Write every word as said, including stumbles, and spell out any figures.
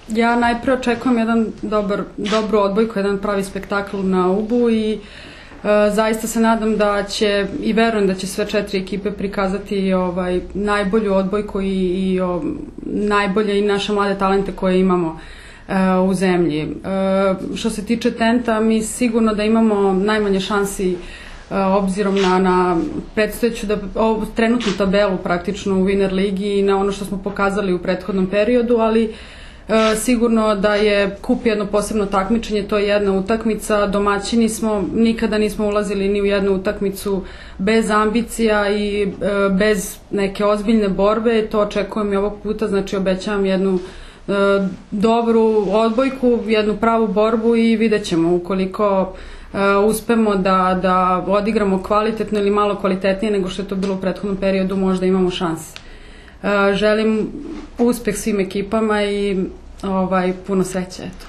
Ja najpre očekujem jedan dobar, dobru odbojku, jedan pravi spektakl na Ubu i zaista se nadam da će i verujem da će sve četiri ekipe prikazati ovaj, najbolju odbojku i, i o, najbolje i naše mlade talente koje imamo u zemlji. Što se tiče Tenta, mi sigurno da imamo najmanje šansi obzirom na, na predstojeću da, o, trenutnu tabelu praktično u Winner ligi i na ono što smo pokazali u prethodnom periodu, ali e, sigurno da je kup jedno posebno takmičenje, to je jedna utakmica, domaćini smo, nikada nismo ulazili ni u jednu utakmicu bez ambicija i e, bez neke ozbiljne borbe, to očekujem i ovog puta, znači obećavam jednu e, dobru odbojku, jednu pravu borbu i vidjet ćemo ukoliko Uh, uspemo da, da odigramo kvalitetno ili malo kvalitetnije nego što je to bilo u prethodnom periodu, možda imamo šanse. Uh, želim uspeh svim ekipama i ovaj, puno sreće. Eto.